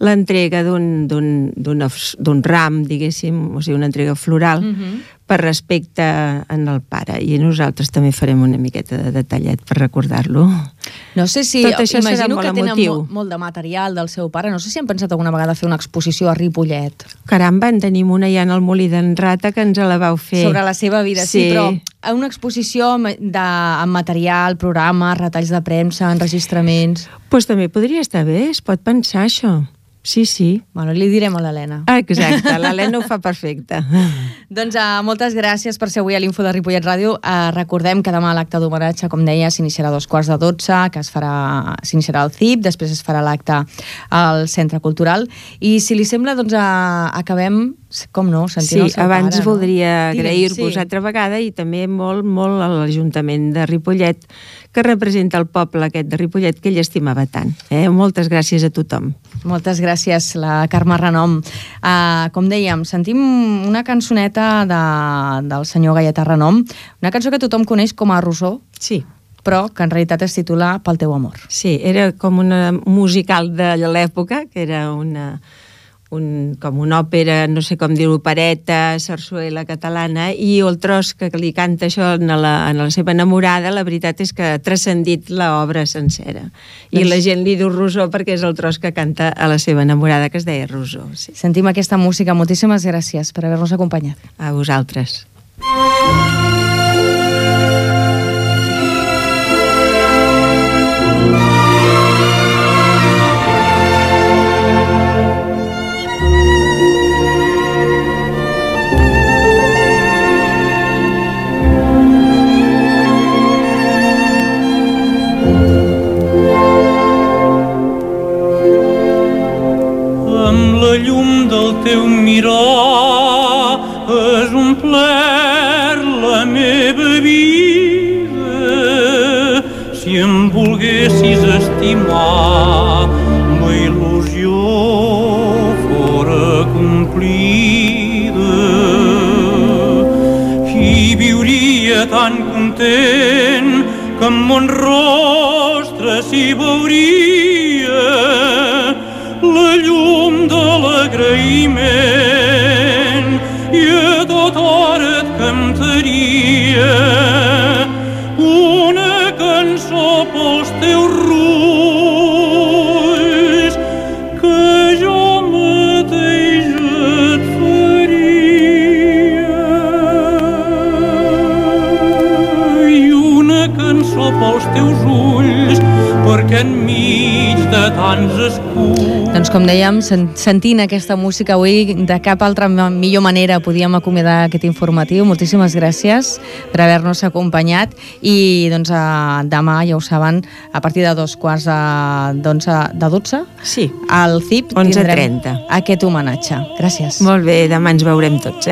l'entrega d'un ram, diguéssim, o sigui, una entrega floral, per respecte en el pare. I nosaltres també farem una miqueta de detallet per recordar-lo. No sé si... Tot això serà imagino molt que tenen emotiu. molt de material del seu pare. No sé si han pensat alguna vegada fer una exposició a Ripollet. Caramba, en tenim una ja en el Molí d'en Rata, que ens la vau fer. Sobre la seva vida, sí, però una exposició amb material, programes, retalls de premsa, enregistraments... Doncs també podria estar bé, es pot pensar això. Sí, sí. Bueno, li direm a l'Helena. Exacte, l'Helena ho fa perfecte. Doncs moltes gràcies per ser avui a l'Info de Ripollet Ràdio. Recordem que demà l'acte d'homenatge, com deia, s'iniciarà a 2:45, que s'iniciarà al CIP, després es farà l'acte al Centre Cultural. I si li sembla, doncs acabem, com no, sentint el seu pare. Sí, abans voldria agrair-vos altra vegada i també molt, molt a l'Ajuntament de Ripollet, que representa el poble aquest de Ripollet que ell estimava tant. Moltes gràcies a tothom. Moltes gràcies, la Carme Renom. Com dèiem, sentim una cançoneta del senyor Gaietà Renom, una cançó que tothom coneix com a Rosó, sí, però que en realitat es titula Pel teu amor. Sí, era com una musical de l'època, que era com una òpera, no sé com dir-ho, opereta, sarsuela catalana, i el tros que li canta això en la seva enamorada, la veritat és que ha transcendit l'obra sencera. I la gent li diu Rosó perquè és el tros que canta a la seva enamorada, que es deia Rosó. Sí. Sentim aquesta música. Moltíssimes gràcies per haver-nos acompanyat. A vosaltres. Teu mirar és omplert la meva vida. Si em volguessis estimar, la il·lusió fora complida i viuria tan content que en mon rostre s'hi veuria la llum de l'agraïment i a tota hora et cantaria una cançó pels teus rulls que jo mateix et faria, i una cançó pels teus ulls perquè enmig de tants escuts. Doncs com dèiem, sentint aquesta música avui, de cap altra millor manera podíem acomiadar aquest informatiu. Moltíssimes gràcies per haver-nos acompanyat i doncs demà, ja ho saben, a partir de 11:12, sí, al CIP 11:30 aquest homenatge. Gràcies. Molt bé, demà ens veurem tots,